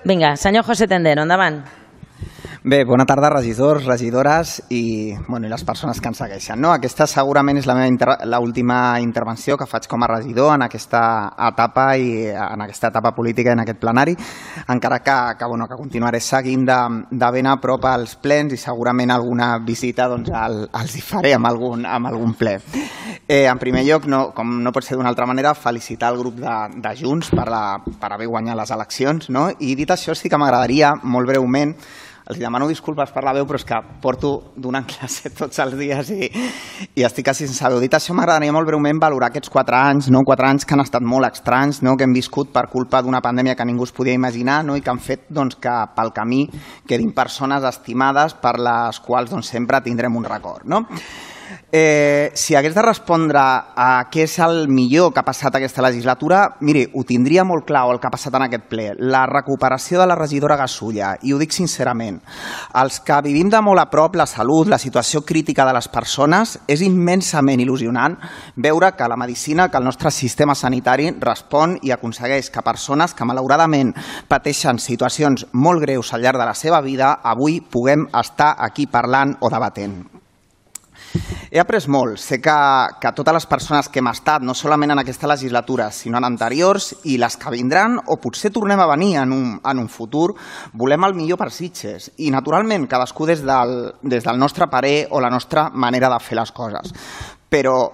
Vinga, senyor José Tendero, endavant. Bé, bona tarda, regidors, regidores i les persones que ens segueixen. Aquesta segurament és l'última intervenció que faig com a regidor en aquesta etapa política i en aquest plenari, encara que continuaré seguint de ben a prop els plens i segurament alguna visita els hi faré amb algun ple. En primer lloc, com no pot ser d'una altra manera, felicitar el grup de Junts per haver guanyat les eleccions. I dit això, sí que m'agradaria, molt breument, els demano disculpes per la veu, però és que porto donant classe tots els dies i estic quasi sense veu. Dit això, m'agradaria molt breument valorar aquests 4 anys, 4 anys que han estat molt estranys, que hem viscut per culpa d'una pandèmia que ningú es podia imaginar i que han fet que pel camí quedin persones estimades per les quals sempre tindrem un record. Si hagués de respondre a què és el millor que ha passat aquesta legislatura, miri, ho tindria molt clar, el que ha passat en aquest ple, la recuperació de la regidora Gasulla, i ho dic sincerament. Els que vivim de molt a prop la salut, la situació crítica de les persones, és immensament il·lusionant veure que la medicina, que el nostre sistema sanitari respon i aconsegueix que persones que malauradament pateixen situacions molt greus al llarg de la seva vida, avui puguem estar aquí parlant o debatent. He après molt. Sé que totes les persones que hem estat, no solament en aquesta legislatura, sinó en anteriors i les que vindran, o potser tornem a venir en un futur, volem el millor per Sitges. I, naturalment, cadascú des del nostre parer o la nostra manera de fer les coses. Però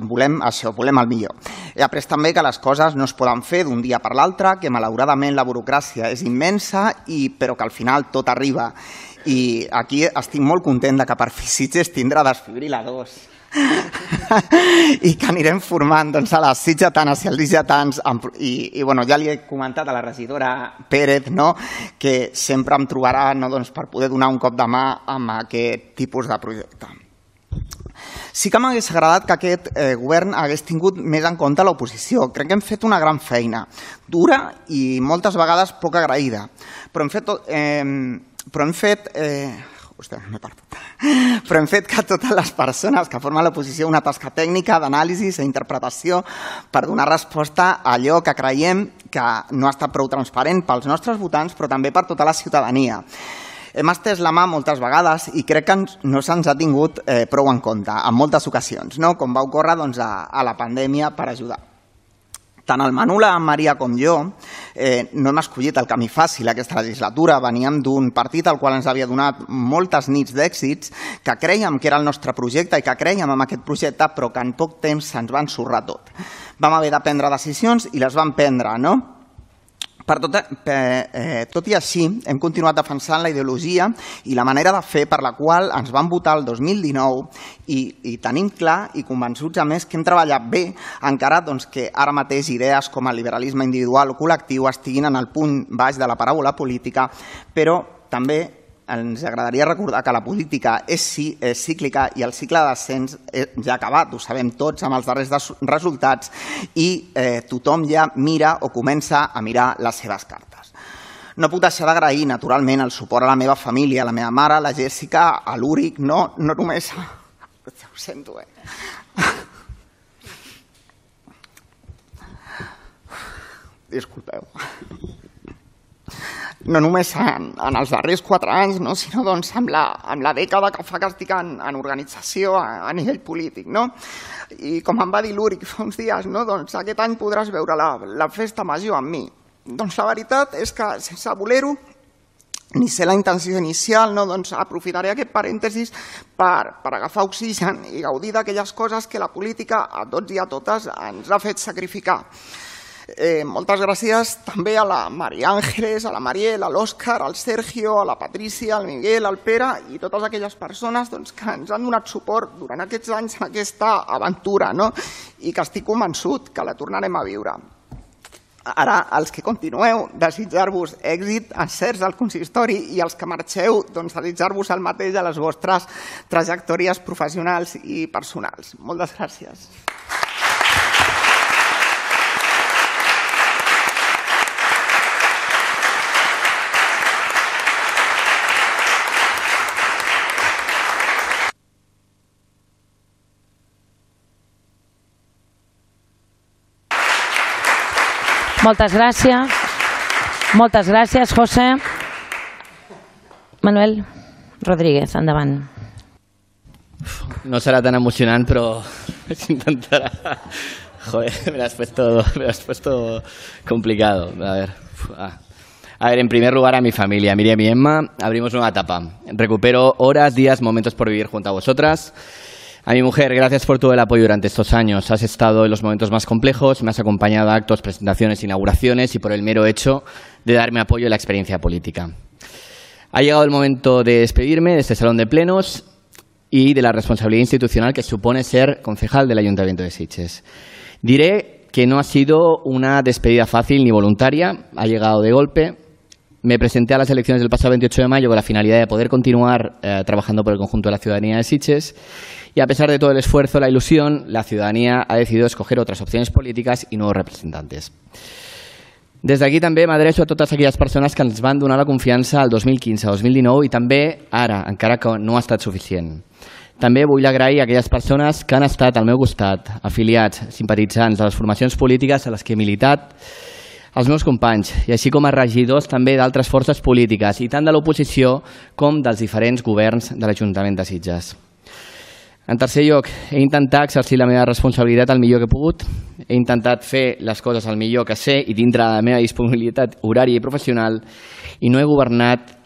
volem això, volem el millor. He après també que les coses no es poden fer d'un dia per l'altre, que malauradament la burocràcia és immensa, però que al final tot arriba. I aquí estic molt content que per fi Sitges tindrà desfibril·ladors i que anirem formant a les sitgetanes i els sitgetans. I ja li he comentat a la regidora Pérez que sempre em trobarà per poder donar un cop de mà amb aquest tipus de projecte. Sí que m'hagués agradat que aquest govern hagués tingut més en compte l'oposició. Crec que hem fet una gran feina, dura i moltes vegades poc agraïda, però hem fet que totes les persones que formen l'oposició una tasca tècnica, d'anàlisi i interpretació per donar resposta a allò que creiem que no ha estat prou transparent pels nostres votants, però també per tota la ciutadania. Hem estès la mà moltes vegades i crec que no se'ns ha tingut prou en compte en moltes ocasions, com va ocórrer a la pandèmia per ajudar. Tant el Manu, la Maria com jo no hem escollit el camí fàcil aquesta legislatura. Veníem d'un partit al qual ens havia donat moltes nits d'èxits, que crèiem que era el nostre projecte i que crèiem en aquest projecte, però que en poc temps se'ns va ensorrar tot. Vam haver de prendre decisions i les vam prendre, Tot i així, hem continuat defensant la ideologia i la manera de fer per la qual ens van votar el 2019 i tenim clar i convençuts, a més, que hem treballat bé, encara que ara mateix idees com el liberalisme individual o col·lectiu estiguin en el punt baix de la paràbola política, però també ens agradaria recordar que la política és cíclica i el cicle de descens ja ha acabat, ho sabem tots amb els darrers resultats, i tothom ja mira o comença a mirar les seves cartes. No puc deixar d'agrair, naturalment, el suport a la meva família, a la meva mare, a la Jèssica, a l'Úric, no només... Ho sento, Disculpeu. No només en els darrers 4 anys, sinó amb la dècada que fa que estic en organització a nivell polític. I com em va dir l'Úric fa uns dies, aquest any podràs veure la festa major amb mi. Doncs la veritat és que, sense voler-ho, ni ser la intenció inicial, aprofitaré aquest parèntesis per agafar oxigen i gaudir d'aquelles coses que la política a tots i a totes ens ha fet sacrificar. Moltes gràcies també a la Maria Àngeles, a la Mariel, a l'Òscar, al Sergio, a la Patrícia, al Miguel, al Pere i totes aquelles persones que ens han donat suport durant aquests anys en aquesta aventura i que estic convençut que la tornarem a viure. Ara, els que continueu, desitjar-vos èxit, encerts al consistori, i els que marxeu, desitjar-vos el mateix a les vostres trajectòries professionals i personals. Moltes gràcies. Moltes gràcies. Moltes gràcies, José. Manuel Rodríguez, endavant. No será tan emocionante, pero se intentará. Joder, me lo has puesto complicado. A ver, en primer lugar a mi familia, Miriam y Emma, abrimos nueva etapa. Recupero horas, días, momentos por vivir junto a vosotras. A mi mujer, gracias por todo el apoyo durante estos años. Has estado en los momentos más complejos, me has acompañado a actos, presentaciones, inauguraciones y por el mero hecho de darme apoyo en la experiencia política. Ha llegado el momento de despedirme de este salón de plenos y de la responsabilidad institucional que supone ser concejal del Ayuntamiento de Sitges. Diré que no ha sido una despedida fácil ni voluntaria, ha llegado de golpe. Me presenté a las elecciones del pasado 28 de mayo con la finalidad de poder continuar trabajando por el conjunto de la ciudadanía de Sitges y a pesar de todo el esfuerzo, la ilusión, la ciudadanía ha decidido escoger otras opcions polítiques i nous representants. Des d'aquí també m'adreço a totes aquelles persones que ens van donar la confiança al 2015-2019 i també ara, encara que no ha estat suficient. També vull agrair a aquelles persones que han estat al meu costat, afiliats, simpatitzants de les formacions polítiques a les que he militat, als meus companys, i així com a regidors també d'altres forces polítiques, i tant de l'oposició com dels diferents governs de l'Ajuntament de Sitges. En tercer lloc, he intentat exercir la meva responsabilitat el millor que he pogut, he intentat fer les coses el millor que sé i dintre de la meva disponibilitat horària i professional, i no he governat,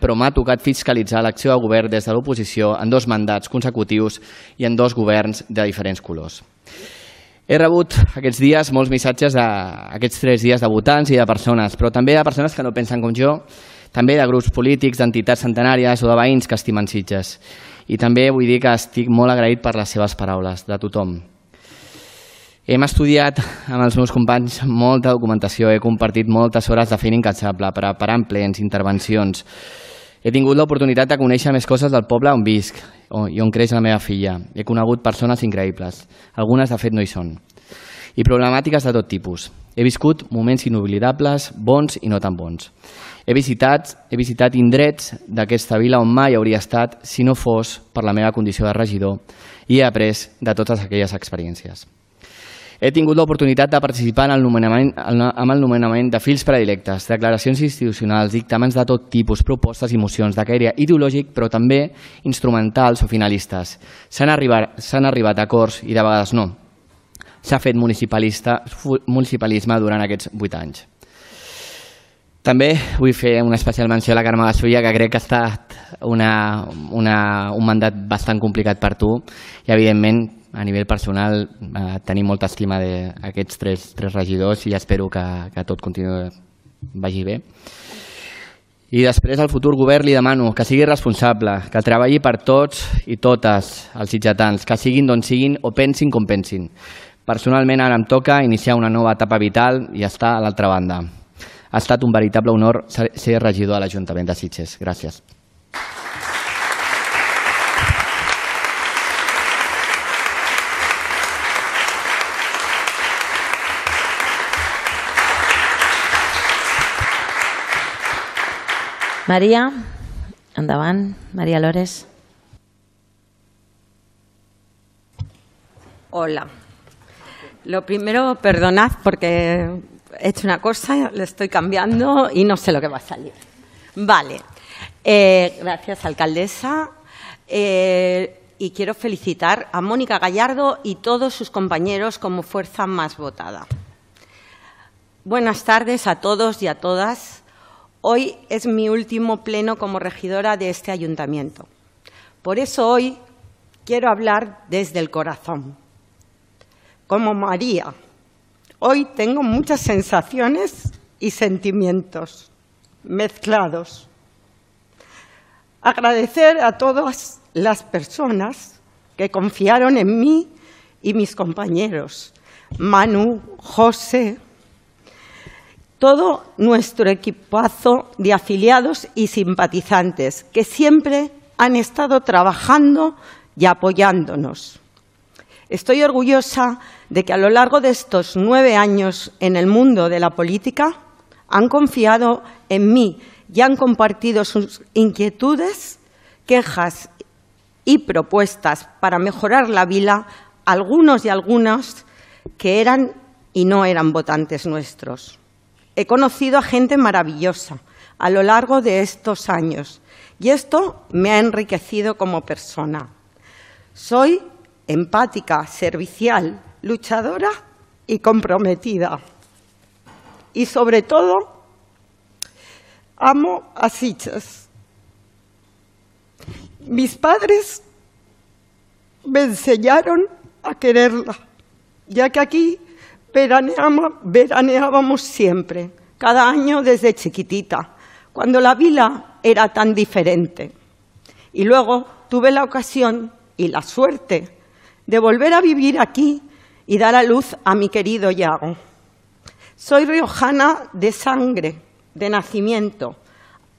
però m'ha tocat fiscalitzar l'acció de govern des de l'oposició en 2 mandats consecutius i en 2 governs de diferents colors. He rebut aquests dies molts missatges d'aquests 3 dies de votants i de persones, però també de persones que no pensen com jo, també de grups polítics, d'entitats centenàries o de veïns que estimen Sitges. I també vull dir que estic molt agraït per les seves paraules, de tothom. Hem estudiat amb els meus companys molta documentació, he compartit moltes hores de feina incansable, preparant plens, intervencions. He tingut l'oportunitat de conèixer més coses del poble on visc i on creix la meva filla. He conegut persones increïbles, algunes de fet no hi són, i problemàtiques de tot tipus. He viscut moments inoblidables, bons i no tan bons. He visitat indrets d'aquesta vila on mai hauria estat si no fos per la meva condició de regidor i he après de totes aquelles experiències. He tingut l'oportunitat de participar en el nomenament de fills predilectes, declaracions institucionals, dictàmens de tot tipus, propostes i mocions de caire ideològic, però també instrumentals o finalistes. S'han arribat a acords i de vegades no. S'ha fet municipalisme durant aquests 8 anys. També vull fer una especial menció a la Carme Gasulla, que crec que ha estat un mandat bastant complicat per tu i, evidentment, a nivell personal, tenim molta estima d'aquests 3 regidors i espero que tot vagi bé. I després, al futur govern li demano que sigui responsable, que treballi per tots i totes els sitgetans, que siguin d'on siguin o pensin com pensin. Personalment, ara em toca iniciar una nova etapa vital i estar a l'altra banda. Ha estat un veritable honor ser regidor a l'Ajuntament de Sitges. Gràcies. María, endavant. María Lores. Hola. Lo primero, perdonad porque he hecho una cosa, le estoy cambiando y no sé lo que va a salir. Vale. Gracias, alcaldesa. Y quiero felicitar a Mónica Gallardo y todos sus compañeros como fuerza más votada. Buenas tardes a todos y a todas. Hoy es mi último pleno como regidora de este ayuntamiento. Por eso hoy quiero hablar desde el corazón. Como María, hoy tengo muchas sensaciones y sentimientos mezclados. Agradecer a todas las personas que confiaron en mí y mis compañeros, Manu, José, todo nuestro equipazo de afiliados y simpatizantes que siempre han estado trabajando y apoyándonos. Estoy orgullosa de que a lo largo de estos 9 años en el mundo de la política han confiado en mí y han compartido sus inquietudes, quejas y propuestas para mejorar la vila, algunos y algunas que eran y no eran votantes nuestros. He conocido a gente maravillosa a lo largo de estos años y esto me ha enriquecido como persona. Soy empática, servicial, luchadora y comprometida. Y sobre todo, amo a Sitges. Mis padres me enseñaron a quererla, ya que aquí veraneábamos siempre, cada año desde chiquitita, cuando la vila era tan diferente. Y luego tuve la ocasión y la suerte de volver a vivir aquí y dar a luz a mi querido Yago. Soy riojana de sangre, de nacimiento,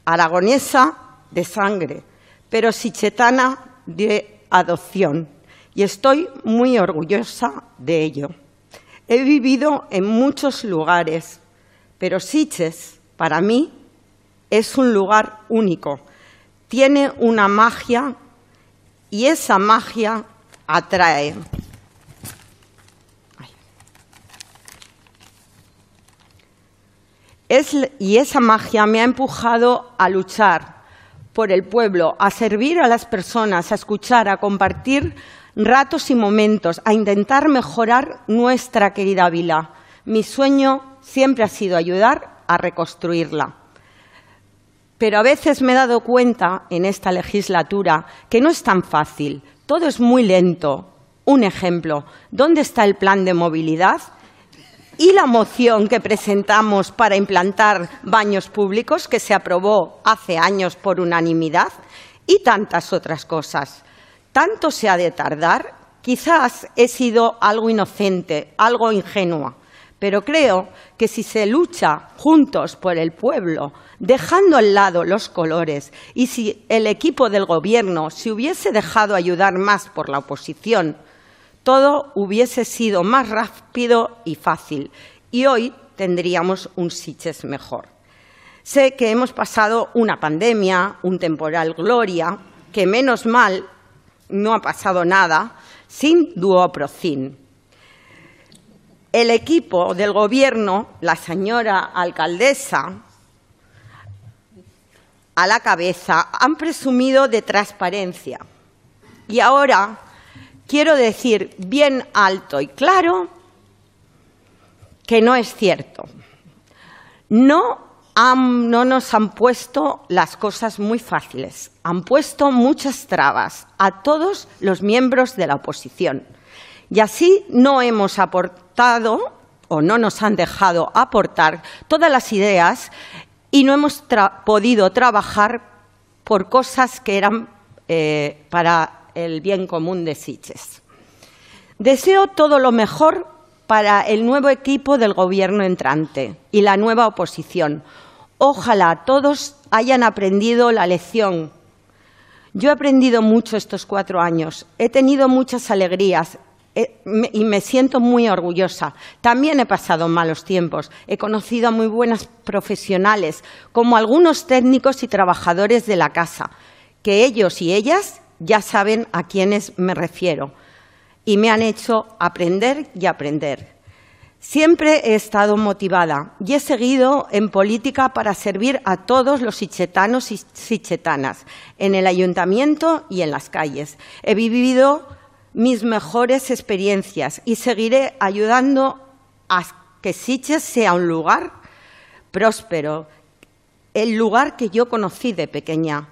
aragonesa de sangre, pero sitgetana de adopción, y estoy muy orgullosa de ello. He vivido en muchos lugares, pero Sitges, para mí, es un lugar único. Tiene una magia y esa magia atrae. Y esa magia me ha empujado a luchar por el pueblo, a servir a las personas, a escuchar, a compartir ratos y momentos, a intentar mejorar nuestra querida vila. Mi sueño siempre ha sido ayudar a reconstruirla. Pero a veces me he dado cuenta en esta legislatura que no es tan fácil, todo es muy lento. Un ejemplo, ¿dónde está el plan de movilidad? Y la moción que presentamos para implantar baños públicos, que se aprobó hace años por unanimidad, y tantas otras cosas. ¿Tanto se ha de tardar? Quizás he sido algo inocente, algo ingenua, pero creo que si se lucha juntos por el pueblo, dejando al lado los colores, y si el equipo del Gobierno se hubiese dejado ayudar más por la oposición, todo hubiese sido más rápido y fácil, y hoy tendríamos un Sitges mejor. Sé que hemos pasado una pandemia, un temporal Gloria, que menos mal no ha pasado nada, sin duoprocin. El equipo del Gobierno, la señora alcaldesa a la cabeza, han presumido de transparencia. Y ahora quiero decir bien alto y claro que no es cierto. No nos han puesto las cosas muy fáciles. Han puesto muchas trabas a todos los miembros de la oposición. Y así no hemos aportado o no nos han dejado aportar todas las ideas y no hemos podido trabajar por cosas que eran para el bien común de Sitges. Deseo todo lo mejor para el nuevo equipo del Gobierno entrante y la nueva oposición. Ojalá todos hayan aprendido la lección. Yo he aprendido mucho estos 4 años, he tenido muchas alegrías y me siento muy orgullosa. También he pasado malos tiempos, he conocido a muy buenas profesionales, como algunos técnicos y trabajadores de la casa, que ellos y ellas ya saben a quiénes me refiero y me han hecho aprender y aprender. Siempre he estado motivada y he seguido en política para servir a todos los sitgetanos y sitgetanas, en el ayuntamiento y en las calles. He vivido mis mejores experiencias y seguiré ayudando a que Sitges sea un lugar próspero, el lugar que yo conocí de pequeña,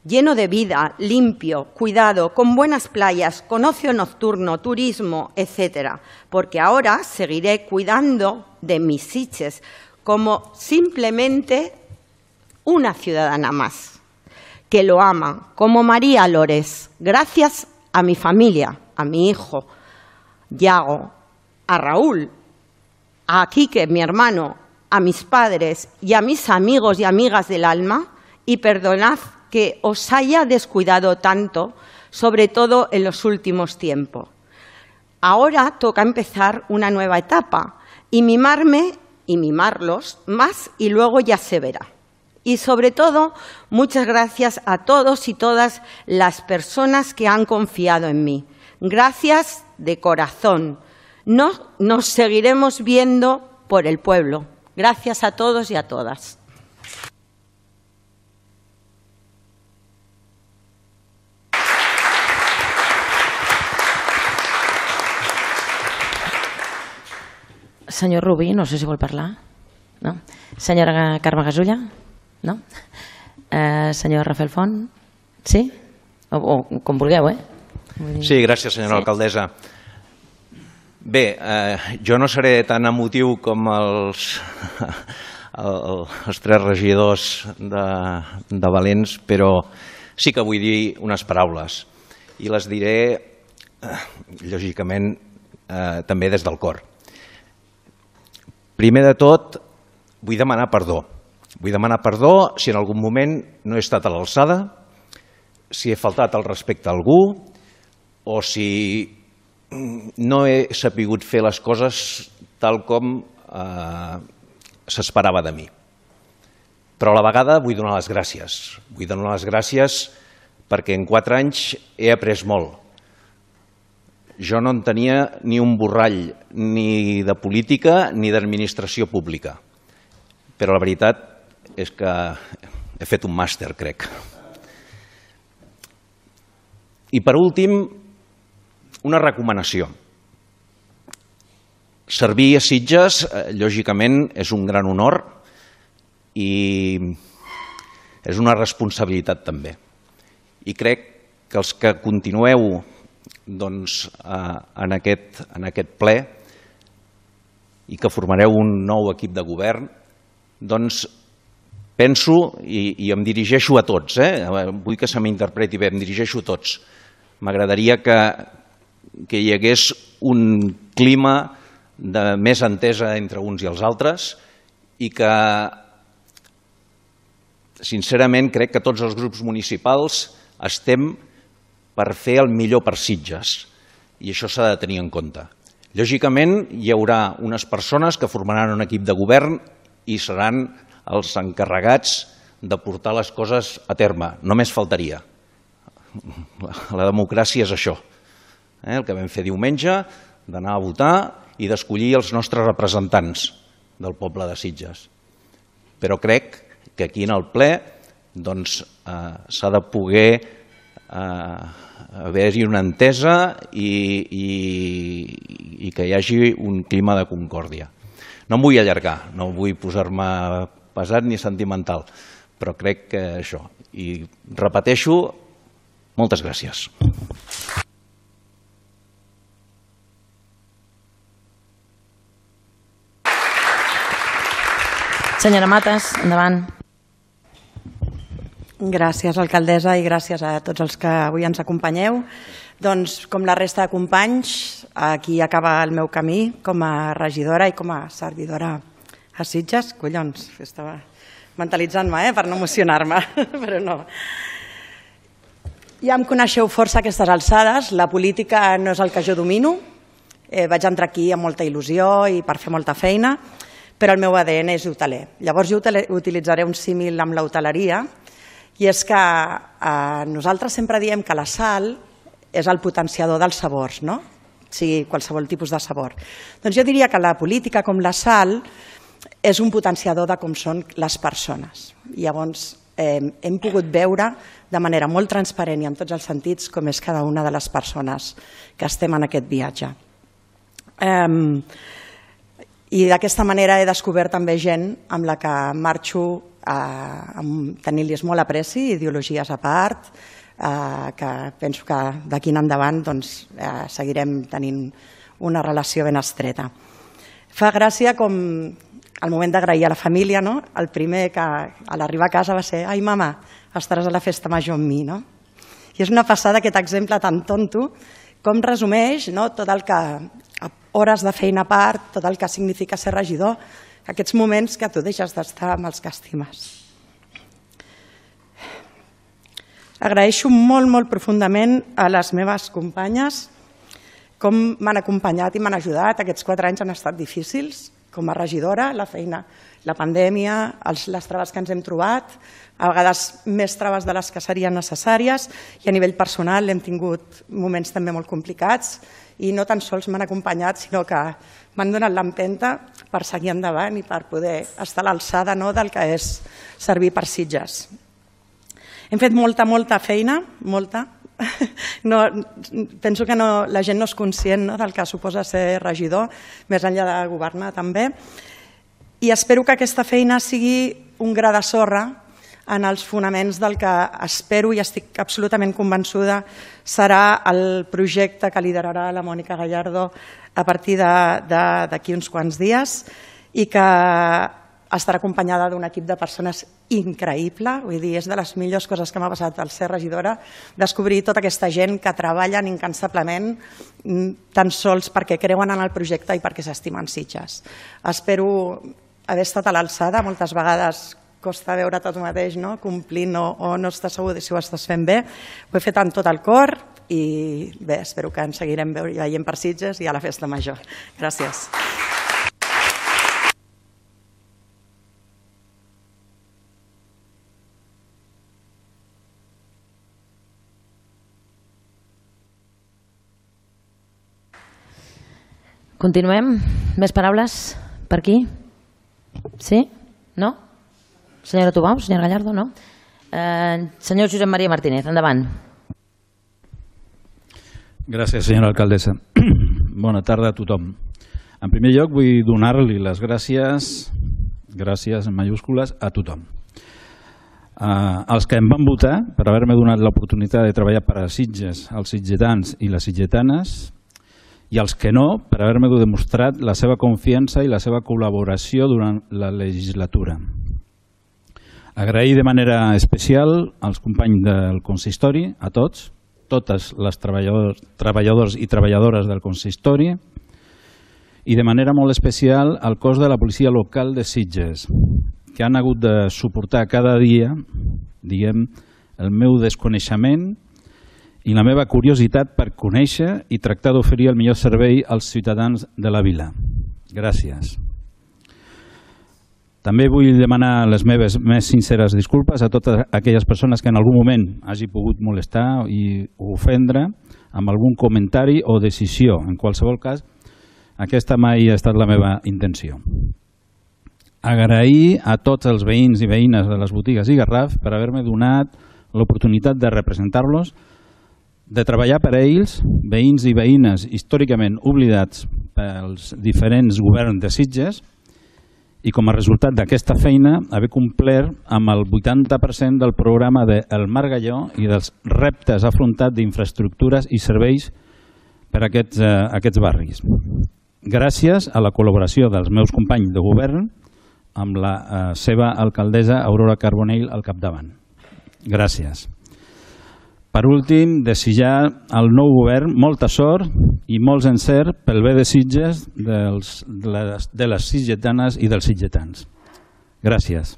lleno de vida, limpio, cuidado, con buenas playas, con ocio nocturno, turismo, etcétera. Porque ahora seguiré cuidando de mis Sitges como simplemente una ciudadana más, que lo ama, como María Lores, gracias a mi familia, a mi hijo, Yago, a Raúl, a Quique, mi hermano, a mis padres y a mis amigos y amigas del alma, y perdonad que os haya descuidado tanto, sobre todo en los últimos tiempos. Ahora toca empezar una nueva etapa y mimarme y mimarlos más y luego ya se verá. Y sobre todo, muchas gracias a todos y todas las personas que han confiado en mí. Gracias de corazón. Nos seguiremos viendo por el pueblo. Gracias a todos y a todas. Senyor Rubí, no sé si vol parlar. No? Senyora Carme Gasulla? No? Senyor Rafael Font? Sí? O com vulgueu, Sí, gràcies, senyora alcaldessa. Bé, jo no seré tan emotiu com els tres regidors de Valents, però sí que vull dir unes paraules i les diré, lògicament, també des del cor. Primer de tot, vull demanar perdó. Vull demanar perdó si en algun moment no he estat a l'alçada, si he faltat al respecte a algú o si no he sapigut fer les coses tal com s'esperava de mi. Però a la vegada vull donar les gràcies. Vull donar les gràcies perquè en 4 anys he après molt. Jo no en tenia ni un borrall ni de política ni d'administració pública. Però la veritat és que he fet un màster, crec. I per últim, una recomanació. Servir a Sitges, lògicament, és un gran honor i és una responsabilitat també. I crec que els que continueu en aquest ple i que formareu un nou equip de govern, doncs penso, i em dirigeixo a tots, vull que se m'interpreti bé, em dirigeixo a tots. M'agradaria que hi hagués un clima de més entesa entre uns i els altres i que, sincerament, crec que tots els grups municipals estem per fer el millor per Sitges i això s'ha de tenir en compte. Lògicament, hi haurà unes persones que formaran un equip de govern i seran els encarregats de portar les coses a terme. Només faltaria. La democràcia és això. El que vam fer diumenge, d'anar a votar i d'escollir els nostres representants del poble de Sitges. Però crec que aquí en el ple s'ha de poder haver-hi una entesa i que hi hagi un clima de concòrdia. No em vull allargar, no vull posar-me pesat ni sentimental, però crec que això. I repeteixo, moltes gràcies. Senyora Matas, endavant. Gràcies, alcaldessa, i gràcies a tots els que avui ens acompanyeu. Doncs, com la resta de companys, aquí acaba el meu camí com a regidora i com a servidora a Sitges. Collons, estava mentalitzant-me per no emocionar-me, però no. Ja em coneixeu força a aquestes alçades. La política no és el que jo domino. Vaig entrar aquí amb molta il·lusió i per fer molta feina, però el meu ADN és hoteler. Llavors jo utilitzaré un símil amb l'hoteleria, i és que nosaltres sempre diem que la sal és el potenciador dels sabors, no? sigui qualsevol tipus de sabor. Doncs jo diria que la política, com la sal, és un potenciador de com són les persones. Llavors hem pogut veure de manera molt transparent i en tots els sentits com és cada una de les persones que estem en aquest viatge. I d'aquesta manera he descobert també gent amb la que marxo tenint-los molt apreci, ideologies a part, que penso que d'aquí en endavant seguirem tenint una relació ben estreta. Fa gràcia com al moment d'agrair a la família, el primer que a l'arribar a casa va ser «Ai, mama, estaràs a la festa major amb mi». I és una passada aquest exemple tan tonto com resumeix tot el que, hores de feina a part, tot el que significa ser regidor, aquests moments que tu deixes d'estar amb els que estimes. Agraeixo molt, molt profundament a les meves companyes com m'han acompanyat i m'han ajudat. Aquests 4 anys han estat difícils com a regidora, la feina, la pandèmia, les traves que ens hem trobat, a vegades més traves de les que serien necessàries, i a nivell personal hem tingut moments també molt complicats i no tan sols m'han acompanyat, sinó que m'han donat l'empenta per seguir endavant i per poder estar a l'alçada del que és servir per Sitges. Hem fet molta feina, molta. Penso que la gent no és conscient del que suposa ser regidor, més enllà de governar també, i espero que aquesta feina sigui un gra de sorra en els fonaments del que espero i estic absolutament convençuda serà el projecte que liderarà la Mònica Gallardo a partir d'aquí uns quants dies i que estarà acompanyada d'un equip de persones increïble. Vull dir, és de les millors coses que m'ha passat al ser regidora, descobrir tota aquesta gent que treballen incansablement tan sols perquè creuen en el projecte i perquè s'estimen Sitges. Espero haver estat a l'alçada. Moltes vegades costa veure tot mateix, complint o no estàs segur de si ho estàs fent bé. Ho he fet amb tot el cor i bé, espero que ens seguirem veient per Sitges i a la festa major. Gràcies. Continuem. Més paraules per aquí? Sí? No? Senyora Tubau, senyora Gallardo, no? Senyor Josep Maria Martínez, endavant. Gràcies, senyora alcaldessa. Bona tarda a tothom. En primer lloc, vull donar-li les gràcies en majúscules, a tothom. Els que em van votar per haver-me donat l'oportunitat de treballar per a Sitges, els sitgetans i les sitgetanes, i els que no, per haver-me demostrat la seva confiança i la seva col·laboració durant la legislatura. Agrair de manera especial als companys del consistori, a tots, totes les treballadors i treballadores del consistori, i de manera molt especial al cos de la policia local de Sitges, que han hagut de suportar cada dia, el meu desconeixement i la meva curiositat per conèixer i tractar d'oferir el millor servei als ciutadans de la vila. Gràcies. També vull demanar les meves més sinceres disculpes a totes aquelles persones que en algun moment hagi pogut molestar i ofendre amb algun comentari o decisió. En qualsevol cas, aquesta mai ha estat la meva intenció. Agrair a tots els veïns i veïnes de les botigues i Garraf per haver-me donat l'oportunitat de representar-los, de treballar per a ells, veïns i veïnes històricament oblidats pels diferents governs de Sitges, i com a resultat d'aquesta feina haver complert amb el 80% del programa del Margalló i dels reptes afrontats d'infraestructures i serveis per a aquests barris. Gràcies a la col·laboració dels meus companys de govern amb la seva alcaldessa Aurora Carbonell al capdavant. Gràcies. Per últim, desitjar al nou govern molta sort i molts encert pel bé de Sitges, de les sitgetanes i dels sitgetans. Gràcies.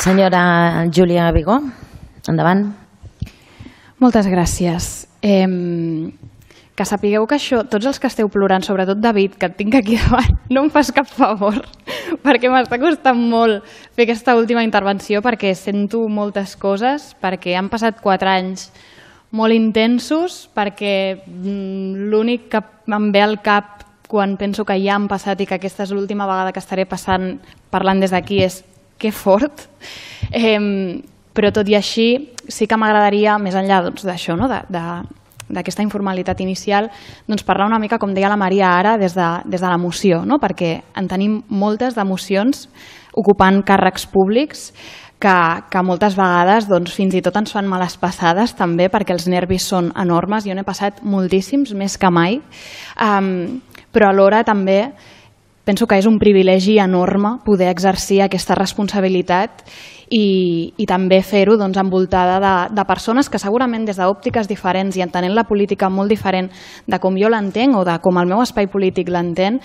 Senyora Júlia Vigó, endavant. Moltes gràcies. Que sapigueu que això, tots els que esteu plorant, sobretot David, que et tinc aquí davant, no em fas cap favor, perquè m'està costant molt fer aquesta última intervenció, perquè sento moltes coses, perquè han passat 4 anys molt intensos, perquè l'únic que em ve al cap quan penso que ja han passat i que aquesta és l'última vegada que estaré parlant des d'aquí és que fort. Però tot i així sí que m'agradaria, més enllà d'això, d'aquesta informalitat inicial, parlar una mica, com deia la Maria ara, des de l'emoció, perquè en tenim moltes d'emocions ocupant càrrecs públics que moltes vegades fins i tot ens fan males passades també, perquè els nervis són enormes. Jo n'he passat moltíssims, més que mai, però alhora també penso que és un privilegi enorme poder exercir aquesta responsabilitat i també fer-ho envoltada de persones que segurament des d'òptiques diferents i entenent la política molt diferent de com jo l'entenc o de com el meu espai polític l'entén,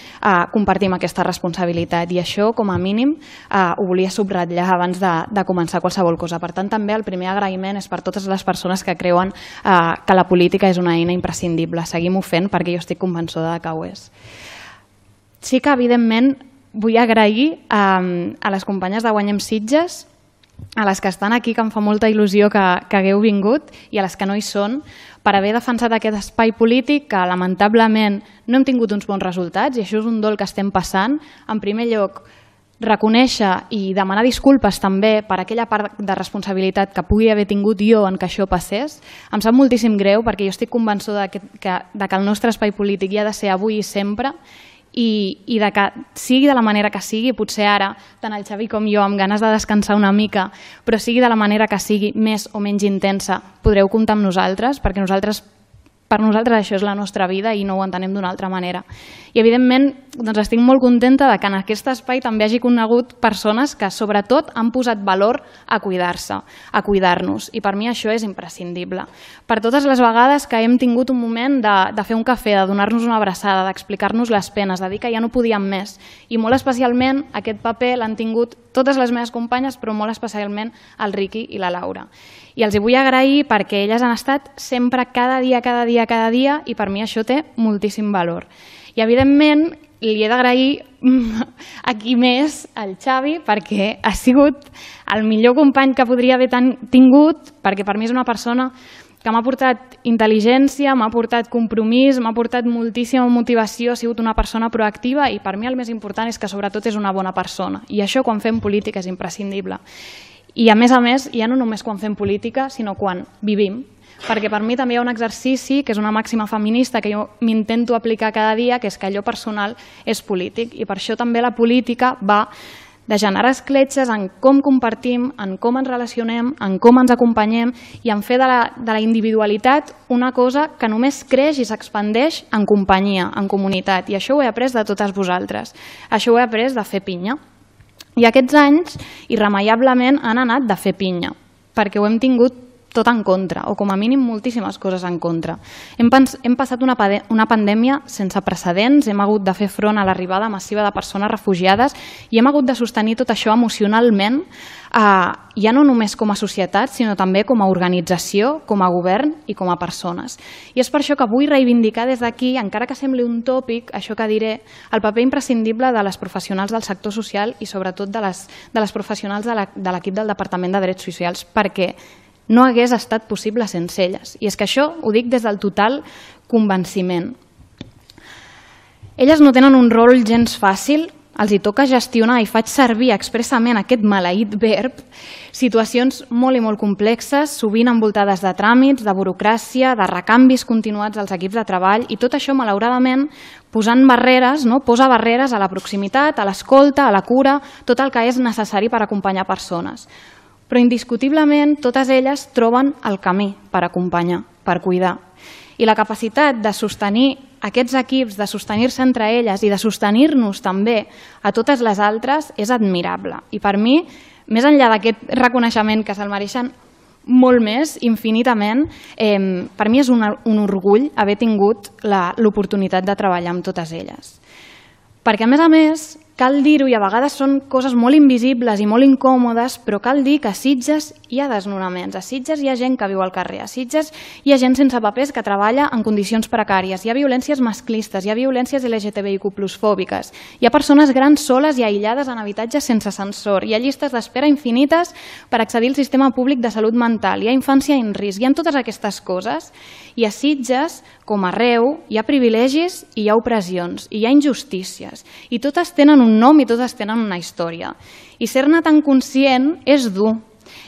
compartim aquesta responsabilitat. I això, com a mínim, ho volia subratllar abans de començar qualsevol cosa. Per tant, també el primer agraïment és per totes les persones que creuen que la política és una eina imprescindible. Seguim-ho fent perquè jo estic convençuda que ho és. Sí que, evidentment, vull agrair a les companyes de Guanyem Sitges a les que estan aquí, que em fa molta il·lusió que hagueu vingut, i a les que no hi són, per haver defensat aquest espai polític que lamentablement no hem tingut uns bons resultats, i això és un dol que estem passant. En primer lloc, reconèixer i demanar disculpes també per aquella part de responsabilitat que pugui haver tingut jo en que això passés. Em sap moltíssim greu perquè jo estic convençuda que el nostre espai polític hi ha de ser avui i sempre, i de que sigui de la manera que sigui, potser ara, tant el Xavi com jo, amb ganes de descansar una mica, però sigui de la manera que sigui, més o menys intensa, podreu comptar amb nosaltres, perquè per nosaltres això és la nostra vida i no ho entenem d'una altra manera. I evidentment estic molt contenta que en aquest espai també hagi conegut persones que sobretot han posat valor a cuidar-se, a cuidar-nos, i per mi això és imprescindible. Per totes les vegades que hem tingut un moment de fer un cafè, de donar-nos una abraçada, d'explicar-nos les penes, de dir que ja no podíem més, i molt especialment aquest paper l'han tingut totes les meves companyes, però molt especialment el Riqui i la Laura. I els hi vull agrair perquè elles han estat sempre cada dia, i per mi això té moltíssim valor. I evidentment li he d'agrair aquí més al Xavi perquè ha sigut el millor company que podria haver tingut, perquè per mi és una persona que m'ha portat intel·ligència, m'ha portat compromís, m'ha portat moltíssima motivació, ha sigut una persona proactiva, i per mi el més important és que sobretot és una bona persona, i això quan fem política és imprescindible. I a més, ja no només quan fem política, sinó quan vivim, perquè per mi també hi ha un exercici que és una màxima feminista que jo m'intento aplicar cada dia, que és que allò personal és polític, i per això també la política va de generar escletxes en com compartim, en com ens relacionem, en com ens acompanyem, i en fer de la individualitat una cosa que només creix i s'expandeix en companyia, en comunitat, i això ho he après de totes vosaltres, això ho he après de fer pinya. I aquests anys, irremeiablement, han anat de fer pinya, perquè ho hem tingut tot en contra, o com a mínim moltíssimes coses en contra. Hem passat una pandèmia sense precedents, hem hagut de fer front a l'arribada massiva de persones refugiades i hem hagut de sostenir tot això emocionalment, ja no només com a societat, sinó també com a organització, com a govern i com a persones. I és per això que vull reivindicar des d'aquí, encara que sembli un tòpic, això que diré, el paper imprescindible de les professionals del sector social i sobretot de les professionals de l'equip del Departament de Drets Socials, perquè no hagués estat possible sense elles. I és que això ho dic des del total convenciment. Elles no tenen un rol gens fàcil, els hi toca gestionar, i faig servir expressament aquest maleït verb, situacions molt i molt complexes, sovint envoltades de tràmits, de burocràcia, de recanvis continuats als equips de treball, i tot això, malauradament, posant barreres, posa barreres a la proximitat, a l'escolta, a la cura, tot el que és necessari per acompanyar persones. Però indiscutiblement totes elles troben el camí per acompanyar, per cuidar. I la capacitat de sostenir aquests equips, de sostenir-se entre elles i de sostenir-nos també a totes les altres és admirable. I per mi, més enllà d'aquest reconeixement que se'l mereixen molt més, infinitament, per mi és un orgull haver tingut l'oportunitat de treballar amb totes elles. Perquè, a més, cal dir-ho, i a vegades són coses molt invisibles i molt incòmodes, però cal dir que a Sitges hi ha desnonaments, a Sitges hi ha gent que viu al carrer, a Sitges hi ha gent sense papers que treballa en condicions precàries, hi ha violències masclistes, hi ha violències LGTBIQ+ fòbiques, hi ha persones grans soles i aïllades en habitatges sense ascensor, hi ha llistes d'espera infinites per accedir al sistema públic de salut mental, hi ha infància en risc, hi ha totes aquestes coses, i a Sitges, com arreu, hi ha privilegis i hi ha opressions, i hi ha injustícies, i totes tenen un nom i totes tenen una història. I ser-ne tan conscient és dur.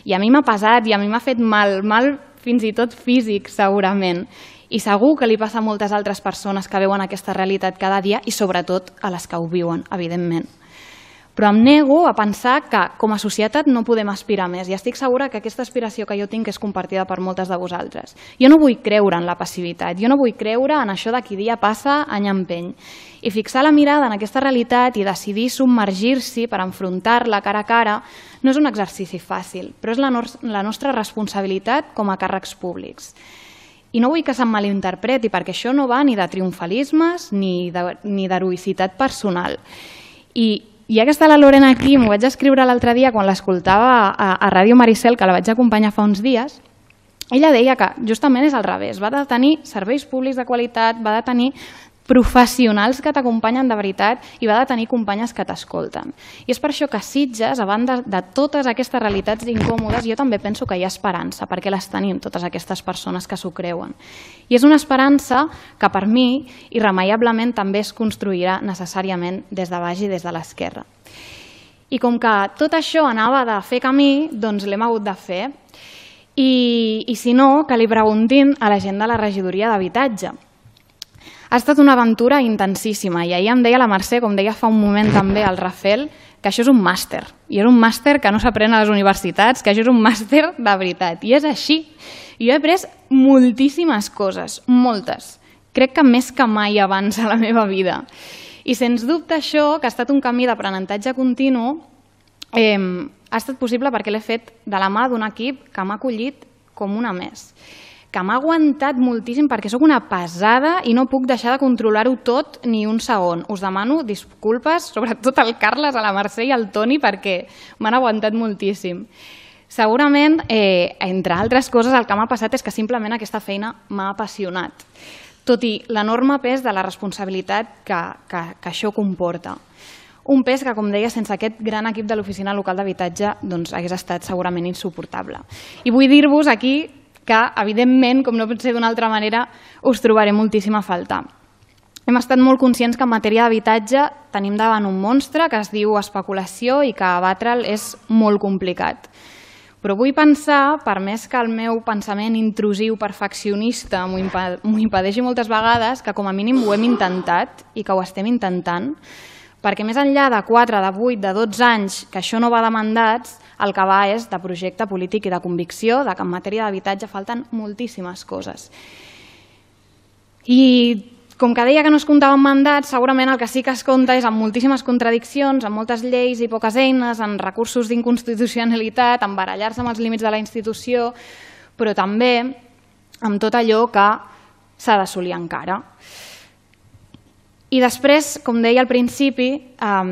I a mi m'ha pesat i a mi m'ha fet mal fins i tot físic, segurament. I segur que li passa a moltes altres persones que veuen aquesta realitat cada dia i sobretot a les que ho viuen, evidentment. Però em nego a pensar que com a societat no podem aspirar més, i estic segura que aquesta aspiració que jo tinc és compartida per moltes de vosaltres. Jo no vull creure en la passivitat, jo no vull creure en això de qui dia passa, any empeny. I fixar la mirada en aquesta realitat i decidir submergir-s'hi per enfrontar-la cara a cara no és un exercici fàcil, però és la nostra responsabilitat com a càrrecs públics. I no vull que se'm malinterpreti, perquè això no va ni de triomfalismes ni d'heroïcitat personal. I ja que està la Lorena aquí, m'ho vaig escriure l'altre dia quan l'escoltava a Ràdio Maricel, que la vaig acompanyar fa uns dies, ella deia que justament és al revés, va de tenir serveis públics de qualitat, va de tenir professionals que t'acompanyen de veritat i va de tenir companyes que t'escolten. I és per això que a Sitges, a banda de totes aquestes realitats incòmodes, jo també penso que hi ha esperança, perquè les tenim, totes aquestes persones que s'ho creuen. I és una esperança que per mi, irremeiablement, també es construirà necessàriament des de baix i des de l'esquerra. I com que tot això anava de fer camí, doncs l'hem hagut de fer. I si no, que li preguntin a la gent de la regidoria d'habitatge. Ha estat una aventura intensíssima i ahir em deia la Mercè, com deia fa un moment també el Rafel, que això és un màster. I és un màster que no s'aprèn a les universitats, que això és un màster de veritat. I és així. I jo he après moltíssimes coses, moltes. Crec que més que mai abans a la meva vida. I sens dubte això, que ha estat un camí d'aprenentatge continu, ha estat possible perquè l'he fet de la mà d'un equip que m'ha acollit com una més, que m'ha aguantat moltíssim perquè sóc una pesada i no puc deixar de controlar-ho tot ni un segon. Us demano disculpes, sobretot al Carles, a la Mercè i al Toni, perquè m'han aguantat moltíssim. Segurament, entre altres coses, el que m'ha passat és que simplement aquesta feina m'ha apassionat, tot i l'enorme pes de la responsabilitat que això comporta. Un pes que, com deia, sense aquest gran equip de l'Oficina Local d'Habitatge hagués estat segurament insuportable. I vull dir-vos aquí que, evidentment, com no pot ser d'una altra manera, us trobaré moltíssim a faltar. Hem estat molt conscients que en matèria d'habitatge tenim davant un monstre que es diu especulació i que abatre'l és molt complicat. Però vull pensar, per més que el meu pensament intrusiu perfeccionista m'ho impedeixi moltes vegades, que com a mínim ho hem intentat i que ho estem intentant, perquè més enllà de 4, de 8, de 12 anys que això no va de mandats, el que va és de projecte polític i de convicció de que en matèria d'habitatge falten moltíssimes coses. I com que deia que no es comptava amb mandats, segurament el que sí que es compta és amb moltíssimes contradiccions, amb moltes lleis i poques eines, amb recursos d'inconstitucionalitat, amb barallar-se amb els límits de la institució, però també amb tot allò que s'ha d'assolir encara. I després, com deia al principi,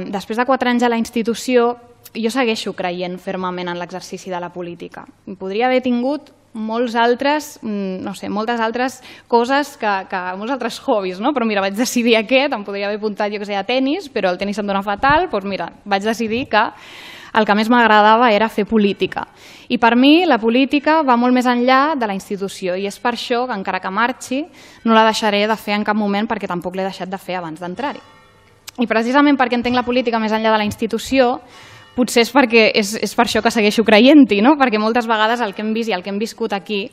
després de 4 anys a la institució, jo segueixo creient fermament en l'exercici de la política. Podria haver tingut moltes altres coses, molts altres hobbies, però mira, vaig decidir aquest, em podria haver apuntat, jo que sé, a tenis, però el tenis em dona fatal, doncs mira, vaig decidir que el que més m'agradava era fer política. I per mi la política va molt més enllà de la institució i és per això que encara que marxi no la deixaré de fer en cap moment perquè tampoc l'he deixat de fer abans d'entrar-hi. I precisament perquè entenc la política més enllà de la institució, potser és per això que segueixo creient-hi, perquè moltes vegades el que hem vist i el que hem viscut aquí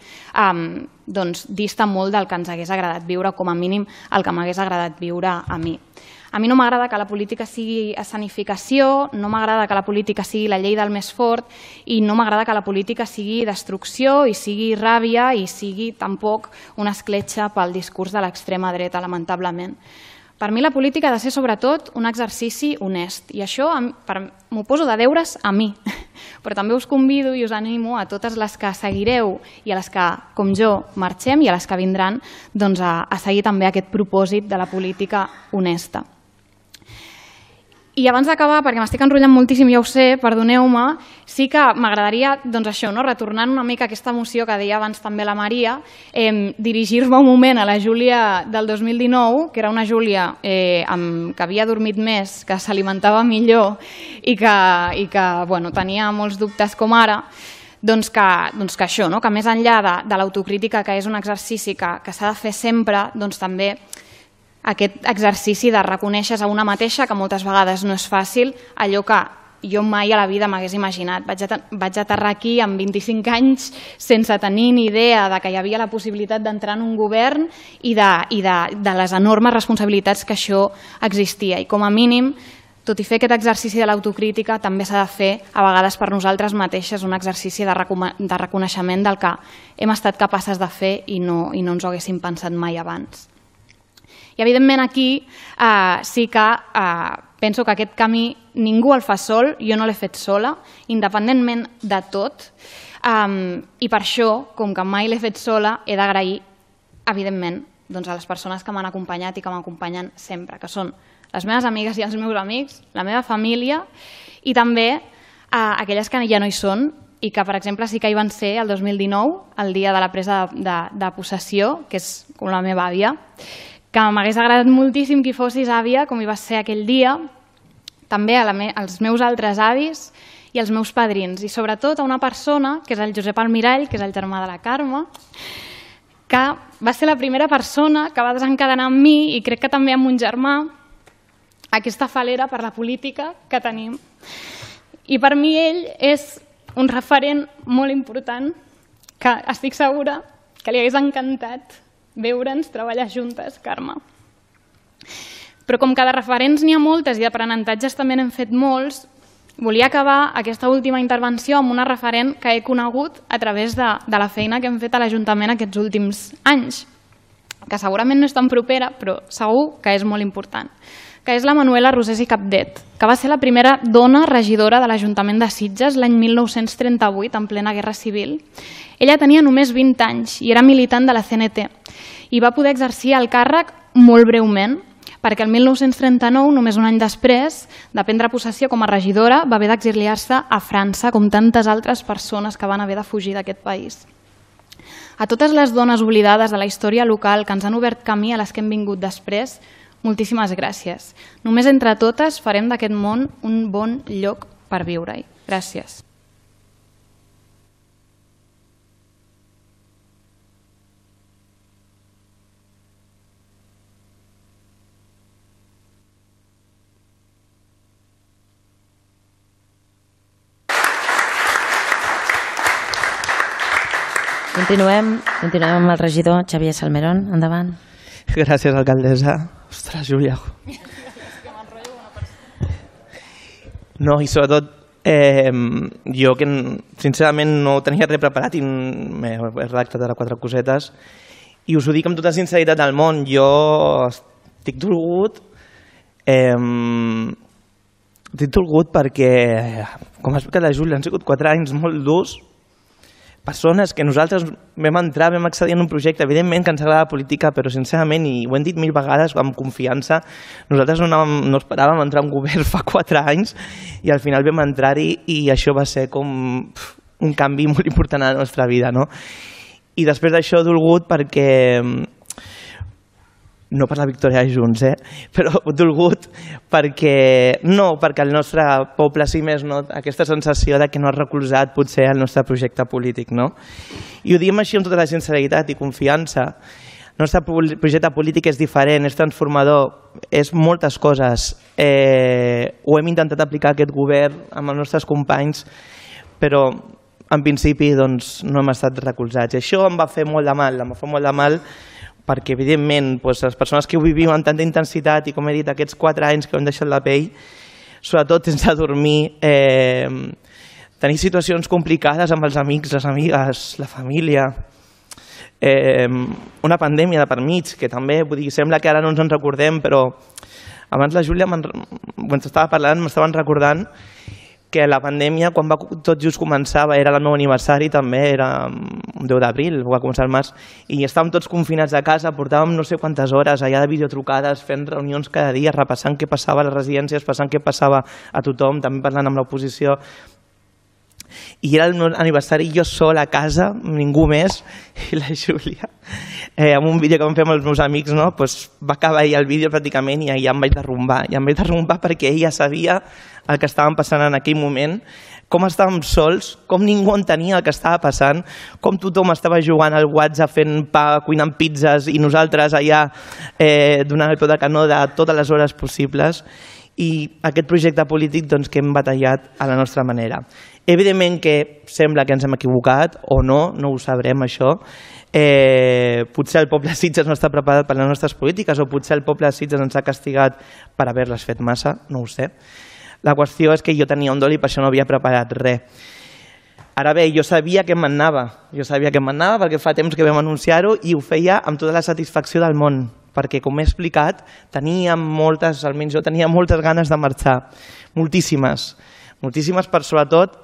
dista molt del que ens hagués agradat viure, com a mínim el que m'hagués agradat viure a mi. A mi no m'agrada que la política sigui escenificació, no m'agrada que la política sigui la llei del més fort i no m'agrada que la política sigui destrucció i sigui ràbia i sigui tampoc una escletxa pel discurs de l'extrema dreta, lamentablement. Per mi la política ha de ser sobretot un exercici honest i això m'ho poso de deures a mi, però també us convido i us animo a totes les que seguireu i a les que, com jo, marxem i a les que vindran a seguir també aquest propòsit de la política honesta. I abans d'acabar, perquè m'estic enrotllant moltíssim, ja ho sé, perdoneu-me, sí que m'agradaria, retornant una mica a aquesta moció que deia abans també la Maria, dirigir-me un moment a la Júlia del 2019, que era una Júlia que havia dormit més, que s'alimentava millor i que tenia molts dubtes com ara, que això, que més enllà de l'autocrítica, que és un exercici que s'ha de fer sempre, també aquest exercici de reconèixer a una mateixa, que moltes vegades no és fàcil, allò que jo mai a la vida m'hagués imaginat. Vaig aterrar aquí amb 25 anys sense tenir ni idea de que hi havia la possibilitat d'entrar en un govern i de les enormes responsabilitats que això existia. I com a mínim, tot i fer aquest exercici de l'autocrítica, també s'ha de fer a vegades per nosaltres mateixes un exercici de reconeixement del que hem estat capaces de fer i no ens ho haguéssim pensat mai abans. I evidentment aquí sí que penso que aquest camí ningú el fa sol, jo no l'he fet sola, independentment de tot, i per això, com que mai l'he fet sola, he d'agrair, evidentment, a les persones que m'han acompanyat i que m'acompanyen sempre, que són les meves amigues i els meus amics, la meva família i també aquelles que ja no hi són i que, per exemple, sí que hi van ser el 2019, el dia de la presa de possessió, que és com la meva àvia, que m'hagués agradat moltíssim que hi fossis, àvia, com hi vas ser aquell dia, també als meus altres avis i als meus padrins, i sobretot a una persona, que és el Josep Almirall, que és el germà de la Carme, que va ser la primera persona que va desencadenar amb mi, i crec que també amb un germà, aquesta falera per la política que tenim. I per mi ell és un referent molt important que estic segura que li hagués encantat veure'ns treballar juntes, Carme. Però com que de referents n'hi ha moltes i d'aprenentatges també n'hem fet molts, volia acabar aquesta última intervenció amb una referent que he conegut a través de la feina que hem fet a l'Ajuntament aquests últims anys, que segurament no és tan propera, però segur que és molt important, que és la Manuela Rosés i Capdet, que va ser la primera dona regidora de l'Ajuntament de Sitges l'any 1938, en plena Guerra Civil. Ella tenia només 20 anys i era militant de la CNT i va poder exercir el càrrec molt breument, perquè el 1939, només un any després de prendre possessió com a regidora, va haver d'exiliar-se a França, com tantes altres persones que van haver de fugir d'aquest país. A totes les dones oblidades de la història local que ens han obert camí a les que hem vingut després, moltíssimes gràcies. Només entre totes farem d'aquest món un bon lloc per viure-hi. Gràcies. Continuem amb el regidor Xavier Salmerón. Endavant. Gràcies, alcaldessa. Ostres, Júlia. No, i sobretot, jo que sincerament no tenia res preparat i m'he redactat ara 4 cosetes i us ho dic amb tota sinceritat del món. Jo estic dolgut perquè, com ha explicat la Júlia, han sigut 4 anys molt durs, persones que nosaltres vam entrar, vam accedir en un projecte, evidentment que ens agrada la política, però sincerament, i ho hem dit 1000 vegades amb confiança, nosaltres no esperàvem entrar en govern fa 4 anys i al final vam entrar-hi i això va ser com un canvi molt important a la nostra vida, no? I després d'això dolgut perquè, no per la victòria de Junts, però dolgut perquè el nostre poble, si més no, aquesta sensació de que no ha recolzat potser el nostre projecte polític, no? I ho diem així amb tota la sinceritat i confiança. El nostre projecte polític és diferent, és transformador, és moltes coses. Ho hem intentat aplicar aquest govern amb els nostres companys, però en principi doncs, no hem estat recolzats. I això em va fer molt de mal, perquè evidentment les persones que ho vivim amb tanta intensitat i com he dit aquests 4 anys que hem deixat la pell, sobretot sense dormir, tenir situacions complicades amb els amics, les amigues, la família, una pandèmia de per mig, que també sembla que ara no ens en recordem, però abans la Júlia, quan estava parlant, m'estaven recordant que la pandèmia, quan va tot just començava, era el meu aniversari també, era un 10 d'abril, va començar el març, i estàvem tots confinats a casa, portàvem no sé quantes hores allà de videotrucades, fent reunions cada dia, repassant què passava a les residències, passant què passava a tothom, també parlant amb l'oposició. I era el meu aniversari, jo sol a casa, ningú més, i la Júlia, amb un vídeo que vam fer amb els meus amics, va acabar ahir el vídeo pràcticament i ja em vaig derrumbar perquè ella sabia el que estàvem passant en aquell moment, com estàvem sols, com ningú entenia el que estava passant, com tothom estava jugant al WhatsApp, fent pa, cuinant pizzas i nosaltres allà donant el peu de canó de totes les hores possibles, i aquest projecte polític que hem batallat a la nostra manera. Evidentment que sembla que ens hem equivocat o no ho sabrem això. Potser el poble de Sitges no està preparat per les nostres polítiques o potser el poble de Sitges ens ha castigat per haver-les fet massa, no ho sé. La qüestió és que jo tenia un dol i per això no havia preparat res. Ara bé, jo sabia que m'anava perquè fa temps que vam anunciar-ho i ho feia amb tota la satisfacció del món, perquè, com he explicat, almenys jo tenia moltes ganes de marxar, moltíssimes, sobretot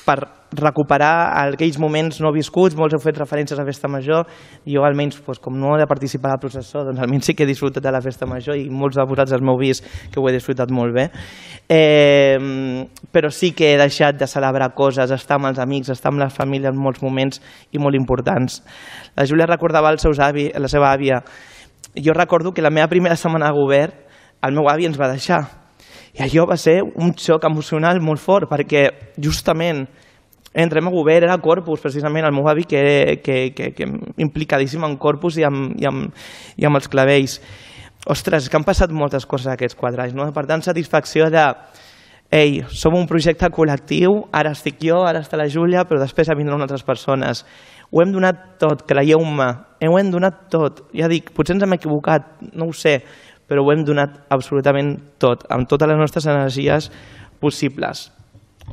per recuperar aquells moments no viscuts. Molts heu fet referències a la festa major, jo almenys, com no he de participar a la processó, doncs almenys sí que he disfrutat de la festa major i molts de vosaltres m'heu vist que ho he disfrutat molt bé, però sí que he deixat de celebrar coses, estar amb els amics, estar amb la família en molts moments i molt importants. La Júlia recordava la seva àvia jo recordo que la meva primera setmana de govern el meu avi ens va deixar. I allò va ser un xoc emocional molt fort, perquè justament entrem a govern, era Corpus, precisament, el meu avi que implicadíssim en Corpus i amb els clavells. Ostres, que han passat moltes coses aquests 4 anys, no? Per tant, satisfacció de ei, som un projecte col·lectiu, ara estic jo, ara està la Júlia, però després vindran altres persones. Ho hem donat tot, creieu-me, ho hem donat tot. Ja dic, potser ens hem equivocat, no ho sé, però ho hem donat absolutament tot, amb totes les nostres energies possibles.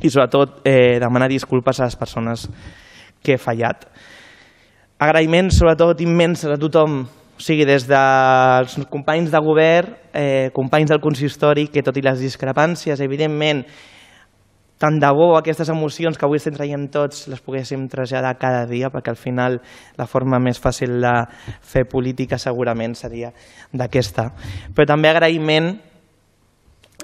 I sobretot demanar disculpes a les persones que he fallat. Agraïments sobretot immensos a tothom, o sigui, des dels companys de govern, companys del consistori, que tot i les discrepàncies, evidentment, tant de bo aquestes emocions que avui estem traient tots les poguéssim traslladar cada dia, perquè al final la forma més fàcil de fer política segurament seria d'aquesta. Però també agraïment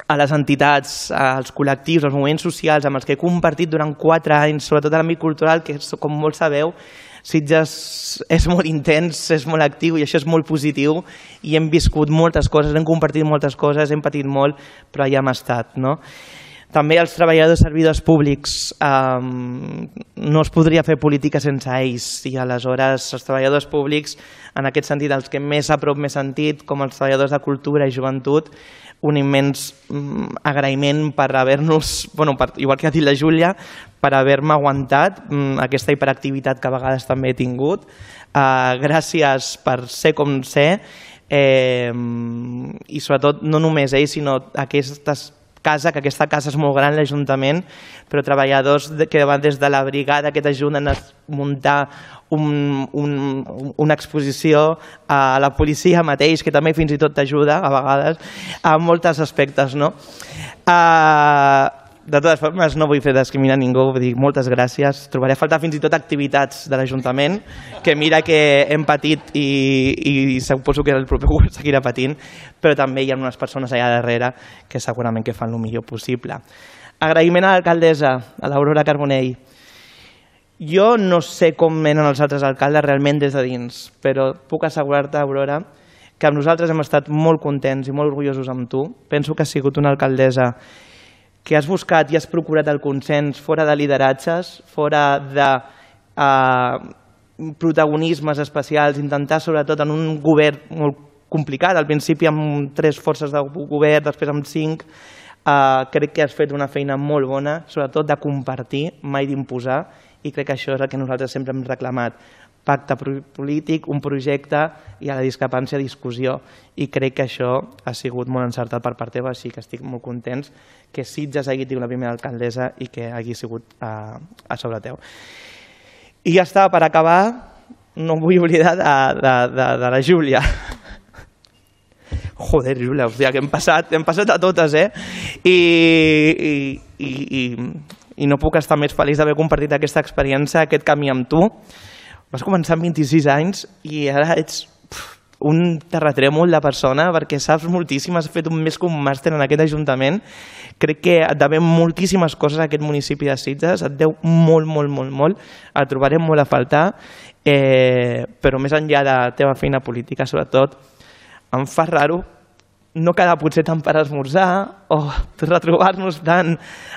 a les entitats, als col·lectius, als moviments socials amb els que he compartit durant 4 anys, sobretot a l'àmbit cultural, que com molts sabeu, Sitges és molt intens, és molt actiu i això és molt positiu i hem viscut moltes coses, hem compartit moltes coses, hem patit molt, però allà hem estat, no? També els treballadors servidors públics, no es podria fer política sense ells i aleshores els treballadors públics, en aquest sentit els que més a prop m'he sentit, com els treballadors de cultura i joventut, un immens agraïment per haver-nos, igual que ha dit la Júlia, per haver-me aguantat aquesta hiperactivitat que a vegades també he tingut. Gràcies per ser com ser i sobretot no només ells, sinó aquesta casa és molt gran, l'Ajuntament, però treballadors que van des de la brigada que t'ajuden a muntar una exposició, a la policia mateix, que també fins i tot t'ajuda a vegades, a molts aspectes, no? De totes formes, no vull fer discriminar ningú, vull dir moltes gràcies. Trobaré a faltar fins i tot activitats de l'Ajuntament, que mira que hem patit i suposo que el proper govern seguirà patint, però també hi ha unes persones allà darrere que segurament que fan el millor possible. Agraïment a l'alcaldessa, a l'Aurora Carbonell. Jo no sé com venen els altres alcaldes realment des de dins, però puc assegurar-te, Aurora, que amb nosaltres hem estat molt contents i molt orgullosos amb tu. Penso que has sigut una alcaldessa que has buscat i has procurat el consens fora de lideratges, fora de protagonismes especials, intentar sobretot en un govern molt complicat, al principi amb 3 forces de govern, després amb 5, crec que has fet una feina molt bona, sobretot de compartir, mai d'imposar, i crec que això és el que nosaltres sempre hem reclamat. Pacte polític, un projecte i a la discrepància discussió, i crec que això ha sigut molt encertat per part teva, així que estic molt contents que Sitges hagi tingut la primera alcaldessa i que hagi sigut a sobre teu. I ja està, per acabar, no em vull oblidar de la Júlia. Joder, Júlia, hòstia, que hem passat a totes, i no puc estar més feliç d'haver compartit aquesta experiència, aquest camí amb tu. Vas començar amb 26 anys i ara ets un terratrèmol de persona perquè saps moltíssim, has fet més que un màster en aquest Ajuntament. Crec que et devem moltíssimes coses a aquest municipi de Sitges, et deu molt, molt, molt, molt. Et trobarem molt a faltar, però més enllà de la teva feina política, sobretot, em fa raro no quedar potser tant per esmorzar o retrobar-nos tant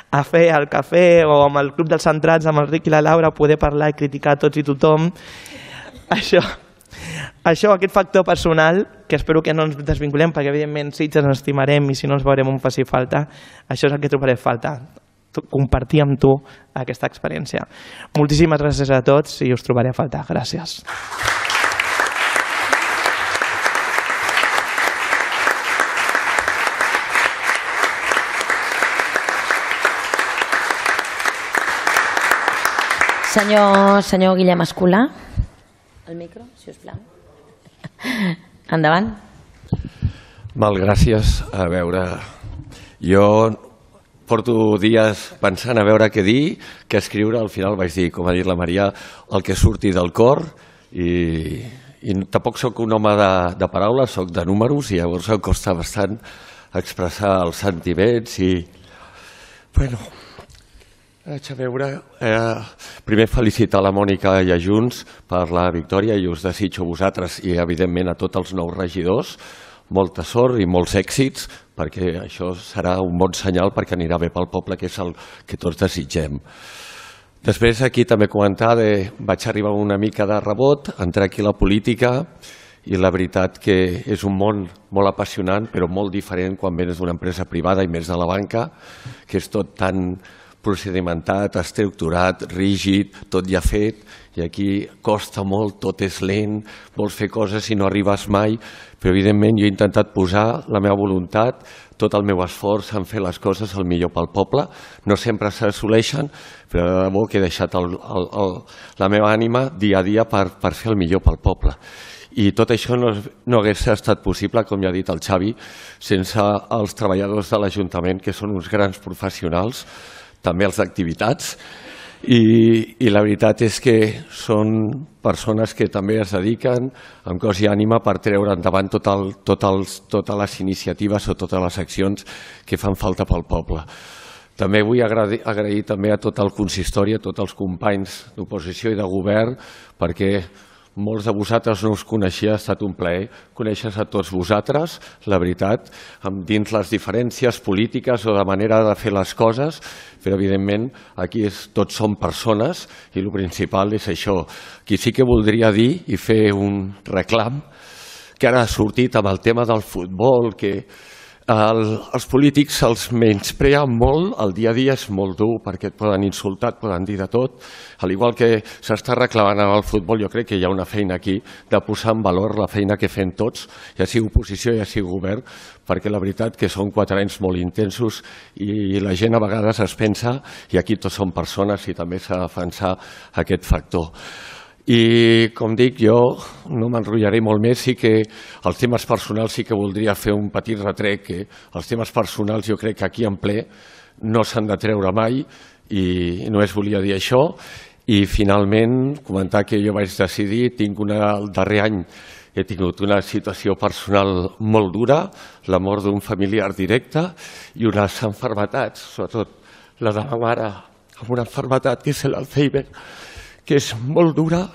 a fer el cafè o amb el Club dels Centrats, amb el Ric i la Laura, poder parlar i criticar tots i tothom. Això, aquest factor personal, que espero que no ens desvinculem, perquè evidentment Sitges ens estimarem i si no ens veurem on faci falta, això és el que trobaré a faltar, compartir amb tu aquesta experiència. Moltíssimes gràcies a tots i us trobaré a faltar. Gràcies. Senyor Guillem Escolà, el micro, si us plau. Endavant. Mal, gràcies. A veure, jo porto dies pensant a veure què dir, què escriure. Al final vaig dir, com ha dit la Maria, el que surti del cor i tampoc sóc un home de paraules, sóc de números i llavors em costa bastant expressar els sentiments i... Bueno, Vaig a veure... Primer felicitar la Mònica i a Junts per la victòria i us desitjo a vosaltres i evidentment a tots els nous regidors molta sort i molts èxits, perquè això serà un bon senyal perquè anirà bé pel poble, que és el que tots desitgem. Després aquí també comentar, vaig arribar una mica de rebot, entrar aquí a la política i la veritat que és un món molt apassionant però molt diferent quan vens d'una empresa privada i més de la banca, que és tot tan procedimentat, estructurat, rígid, tot ja fet, i aquí costa molt, tot és lent, vols fer coses i no arribes mai, però evidentment jo he intentat posar la meva voluntat, tot el meu esforç en fer les coses el millor pel poble. No sempre s'assoleixen, però de debò que he deixat la meva ànima dia a dia per fer el millor pel poble. I tot això no hagués estat possible, com ja ha dit el Xavi, sense els treballadors de l'Ajuntament, que són uns grans professionals, també els d'activitats, i la veritat és que són persones que també es dediquen amb cos i ànima per treure endavant totes les iniciatives o totes les accions que fan falta pel poble. També vull agrair també a tot el consistori, a tots els companys d'oposició i de govern, perquè molts de vosaltres no us coneixia, ha estat un plaer conèixer a tots vosaltres, la veritat, dins les diferències polítiques o de manera de fer les coses, però evidentment aquí tots som persones i el principal és això. Aquí sí que voldria dir i fer un reclam que ara ha sortit amb el tema del futbol, que els polítics se'ls menyspreen molt, el dia a dia és molt dur perquè et poden insultar, et poden dir de tot, al igual que s'està reclamant en el futbol, jo crec que hi ha una feina aquí de posar en valor la feina que fem tots, ja sigui oposició, ja sigui govern, perquè la veritat que són 4 anys molt intensos i la gent a vegades es pensa, i aquí tots som persones i també s'ha de defensar aquest factor. I, com dic, jo no m'enrotllaré molt més, sí que els temes personals sí que voldria fer un petit retrec, que els temes personals jo crec que aquí en ple no s'han de treure mai i només volia dir això. I finalment comentar que jo vaig decidir, el darrer any he tingut una situació personal molt dura, la mort d'un familiar directe i unes malalties, sobretot la de ma mare, amb una malaltia que és l'Alzheimer, que és molt dura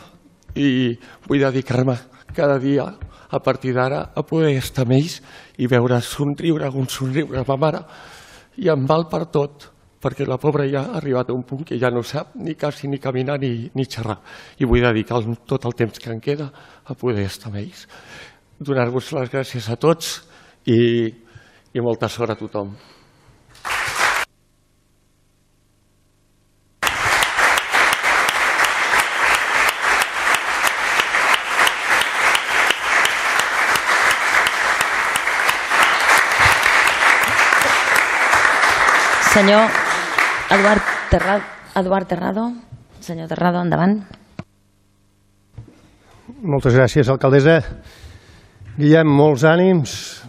i vull dedicar-me cada dia a partir d'ara a poder estar amb ells i veure somriure un somriure a ma mare i em val per tot, perquè la pobra ja ha arribat a un punt que ja no sap ni quasi ni caminar ni xerrar i vull dedicar tot el temps que em queda a poder estar amb ells. Donar-vos les gràcies a tots i molta sort a tothom. Senyor Eduard Terrado. Senyor Terrado, endavant. Moltes gràcies, alcaldessa. Guillem, molts ànims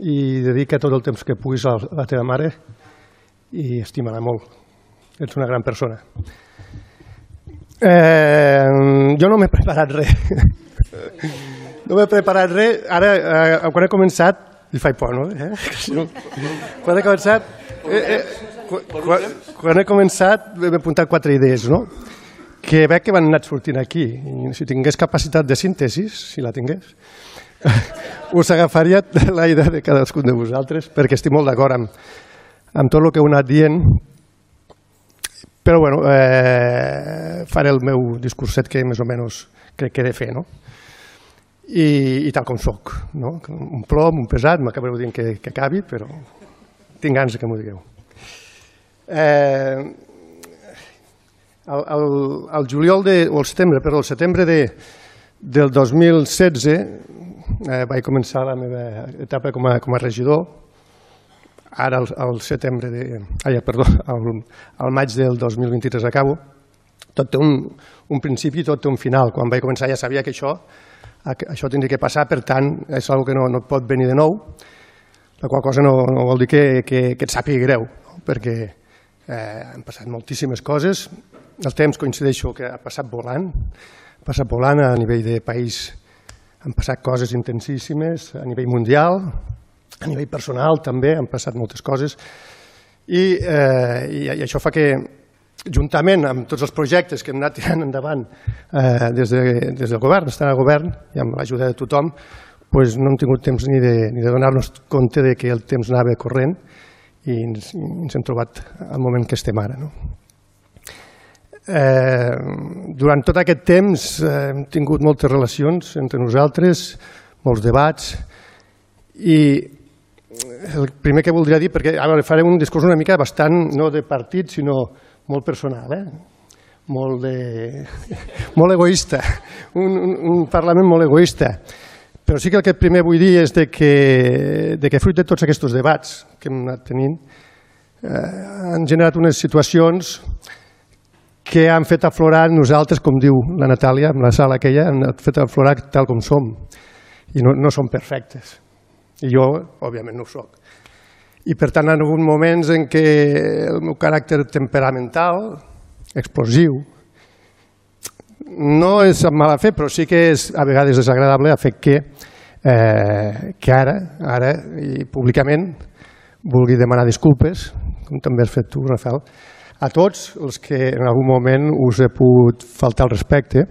i dedica tot el temps que puguis a la teva mare i estima-la molt. Ets una gran persona. Jo no m'he preparat res. Ara, quan he començat, li faig por, no? Quan he començat m'he apuntat 4 idees, no? Que veig que van anar sortint aquí. I si tingués capacitat de síntesi, si la tingués, us agafaria la idea de cadascun de vosaltres, perquè estic molt d'acord amb tot el que heu anat dient, però bueno, faré el meu discurset que més o menys crec que he de fer, no? I tal com soc, no? Un plom, un pesat, m'acabareu dient que acabi, però tinc ganes que m'ho digueu. El setembre del 2016 vaig començar la meva etapa com a regidor. Ara al maig del 2023 acabo. Tot té un principi i tot té un final. Quan vaig començar ja sabia que això tindria que passar, per tant és una cosa que no pot venir de nou, la qual cosa no vol dir que et sàpiga greu, perquè han passat moltíssimes coses. El temps, coincideixo, que ha passat volant a nivell de país. Han passat coses intensíssimes a nivell mundial, a nivell personal també han passat moltes coses i això fa que juntament amb tots els projectes que hem anat tirant endavant des del govern, estant al govern i amb l'ajuda de tothom, doncs no hem tingut temps ni de donar-nos compte que el temps anava corrent i ens hem trobat al moment que estem ara. Durant tot aquest temps hem tingut moltes relacions entre nosaltres, molts debats, i el primer que voldria dir, perquè ara faré un discurs una mica bastant, no de partit, sinó molt personal, molt egoista, un Parlament molt egoista. Però sí que el que primer vull dir és que fruit de tots aquests debats que hem anat tenint han generat unes situacions que han fet aflorar nosaltres, com diu la Natàlia, en la sala aquella, han fet aflorar tal com som. I no som perfectes. I jo, òbviament, no ho soc. I, per tant, hi ha hagut moments en què el meu caràcter temperamental, explosiu, no és amb mala fe, però sí que és a vegades desagradable, ha fet que ara i públicament, vulgui demanar disculpes, com també has fet tu, Rafael, a tots els que en algun moment us he pogut faltar el respecte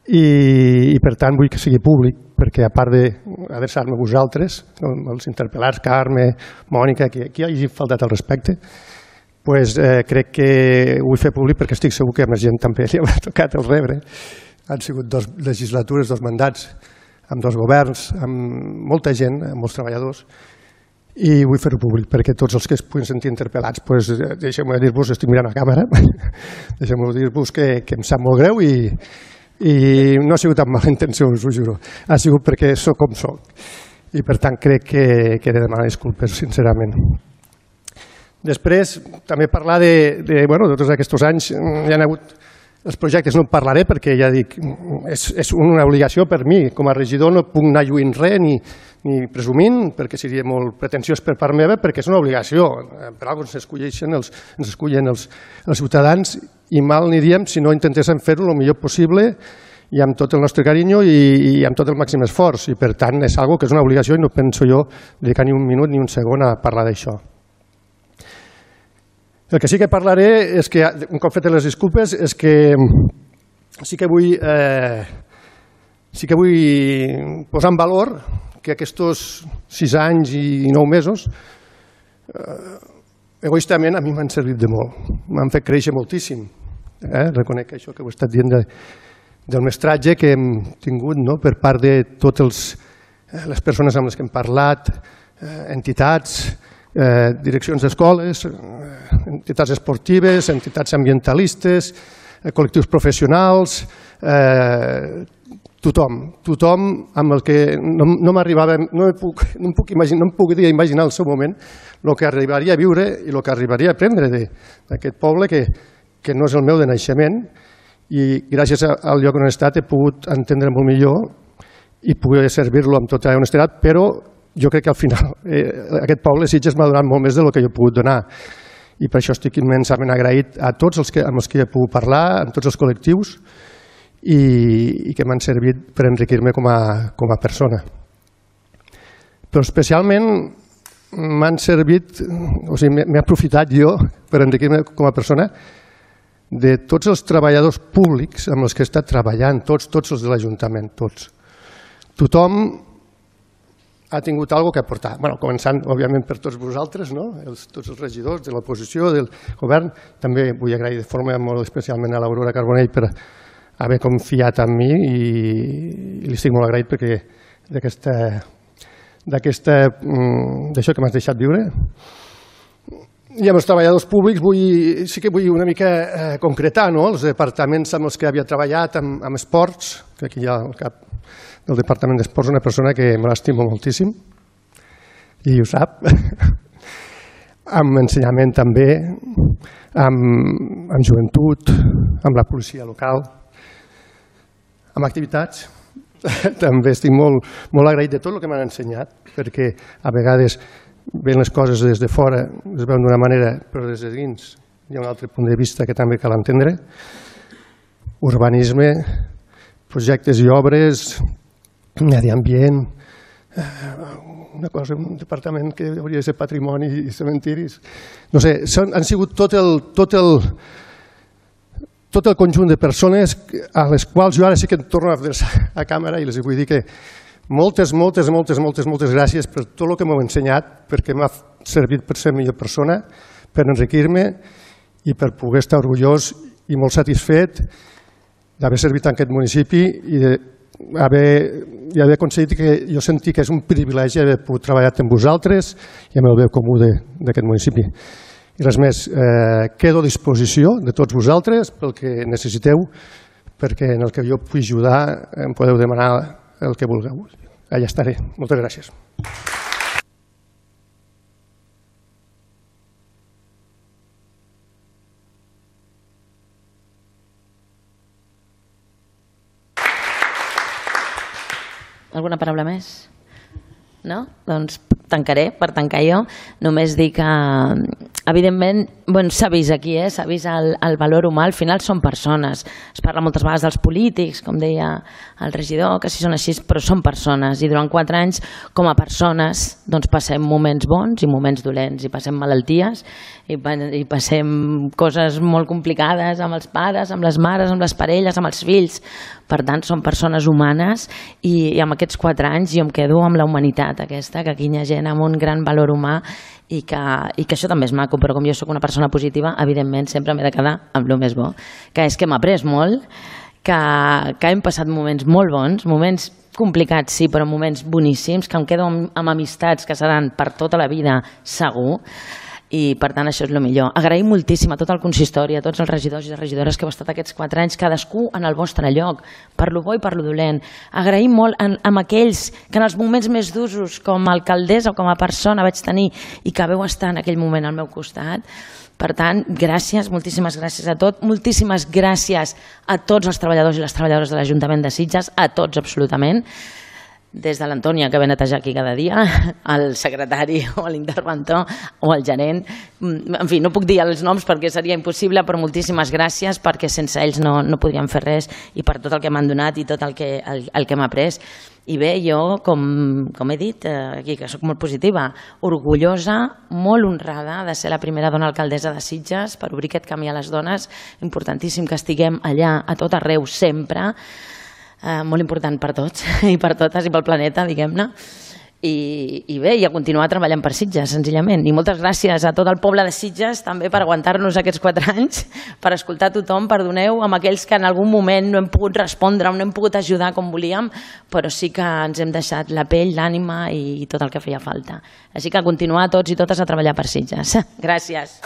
i per tant vull que sigui públic, perquè a part d'adreçar-me a vosaltres, els interpel·lats, Carme, Mònica, qui hagi faltat el respecte, crec que ho vull fer públic perquè estic segur que a més gent també li haurà tocat el rebre. Han sigut 2 legislatures, 2 mandats, amb 2 governs, amb molta gent, amb molts treballadors, i vull fer-ho públic perquè tots els que es puguin sentir interpel·lats, deixeu-me dir-vos, estic mirant a càmera, deixeu-me dir-vos que em sap molt greu i no ha sigut amb mala intenció, us ho juro, ha sigut perquè sóc com sóc i per tant crec que he de demanar disculpes sincerament. Després també parlar de tots aquests anys, hi ha hagut els projectes, no en parlaré perquè ja dic, és una obligació per mi, com a regidor no puc anar lluint res ni presumint, perquè seria molt pretensiós per part meva, perquè és una obligació, per alguna cosa ens escullen els ciutadans i mal aniríem si no intentéssim fer-ho el millor possible i amb tot el nostre carinyo i amb tot el màxim esforç i per tant és una cosa que és una obligació i no penso jo dedicar ni un minut ni un segon a parlar d'això. El que sí que parlaré és que, un cop fetes les disculpes, és que sí que vull posar en valor que aquests 6 anys i 9 mesos egoistament a mi m'han servit de molt, m'han fet créixer moltíssim. Reconec això que ho he estat dient del mestratge que hem tingut per part de totes les persones amb les que hem parlat, entitats, direccions d'escoles, entitats esportives, entitats ambientalistes, col·lectius professionals, tothom amb el que no m'arribava, no em puc imaginar al seu moment el que arribaria a viure i el que arribaria a aprendre d'aquest poble que no és el meu de naixement i gràcies al lloc on he estat he pogut entendre molt millor i poder servir-lo amb tota honestedat, però jo crec que al final aquest poble Sitges m'ha donat molt més del que jo he pogut donar i per això estic immensament agraït a tots amb els que he pogut parlar, amb tots els col·lectius i que m'han servit per enriquir-me com a persona. Però especialment m'han servit, o sigui, m'he aprofitat jo per enriquir-me com a persona de tots els treballadors públics amb els que he estat treballant, tots els de l'Ajuntament, tots. Tothom ha tingut alguna cosa a aportar, començant, òbviament, per tots vosaltres, tots els regidors de l'oposició, del govern. També vull agrair de forma molt especialment a l'Aurora Carbonell per haver confiat en mi i li estic molt agraït perquè d'això que m'has deixat viure. I amb els treballadors públics sí que vull una mica concretar els departaments amb els que havia treballat, amb esports, que aquí hi ha el cap del Departament d'Esports, una persona que me l'estimo moltíssim i ho sap, amb ensenyament també, amb joventut, amb la policia local, amb activitats. També estic molt agraït de tot el que m'han ensenyat, perquè a vegades ven les coses des de fora, es veuen d'una manera, però des de dins hi ha un altre punt de vista que també cal entendre. Urbanisme, projectes i obres, medi ambient, una cosa, un departament que hauria de ser patrimoni i cementiris. No sé, han sigut tot el conjunt de persones a les quals jo ara sí que em torno a adreçar a càmera i els vull dir que moltes gràcies per tot el que m'heu ensenyat, perquè m'ha servit per ser millor persona, per enriquir-me i per poder estar orgullós i molt satisfet d'haver servit en aquest municipi i d'haver aconseguit que jo senti que és un privilegi haver pogut treballar amb vosaltres i amb el bé comú d'aquest municipi. I res més, quedo a disposició de tots vosaltres pel que necessiteu, perquè en el que jo pugui ajudar em podeu demanar el que vulgueu. Allà estaré. Moltes gràcies. Alguna paraula més? No? Doncs tancaré, per tancar jo. Només dir que, evidentment, s'ha vist aquí, s'ha vist el valor humà. Al final són persones. Es parla moltes vegades dels polítics, com deia el regidor, que sí són així, però són persones. I durant 4 anys, com a persones, doncs passem moments bons i moments dolents, i passem malalties, i passem coses molt complicades amb els pares, amb les mares, amb les parelles, amb els fills. Per tant, són persones humanes i amb aquests 4 anys jo em quedo amb la humanitat aquesta, que aquí hi ha gent amb un gran valor humà i que això també és maco, però com jo soc una persona positiva, evidentment sempre m'he de quedar amb el més bo, que és que m'ha après molt, que hem passat moments molt bons, moments complicats sí, però moments boníssims, que em quedo amb amistats que seran per tota la vida segur, i per tant això és el millor. Agraïm moltíssim a tot el consistori, a tots els regidors i regidores que heu estat aquests 4 anys, cadascú en el vostre lloc, per lo bo i per lo dolent. Agraïm molt amb aquells que en els moments més durs, com a alcaldessa o com a persona vaig tenir i que vau estar en aquell moment al meu costat. Per tant, gràcies, moltíssimes gràcies a tot, moltíssimes gràcies a tots els treballadors i les treballadores de l'Ajuntament de Sitges, a tots absolutament, des de l'Antònia, que ve a netejar aquí cada dia, al secretari o l'interventor o el gerent. En fi, no puc dir els noms perquè seria impossible, però moltíssimes gràcies perquè sense ells no podríem fer res i per tot el que m'han donat i tot el que m'ha après. I bé, jo, com he dit, aquí que soc molt positiva, orgullosa, molt honrada de ser la primera dona alcaldessa de Sitges per obrir aquest camí a les dones, importantíssim que estiguem allà a tot arreu sempre, molt important per tots i per totes i pel planeta, diguem-ne. I bé, i a continuar treballant per Sitges, senzillament. I moltes gràcies a tot el poble de Sitges també per aguantar-nos aquests 4 anys, per escoltar tothom, perdoneu amb aquells que en algun moment no hem pogut respondre o no hem pogut ajudar com volíem, però sí que ens hem deixat la pell, l'ànima i tot el que feia falta. Així que a continuar tots i totes a treballar per Sitges. Gràcies.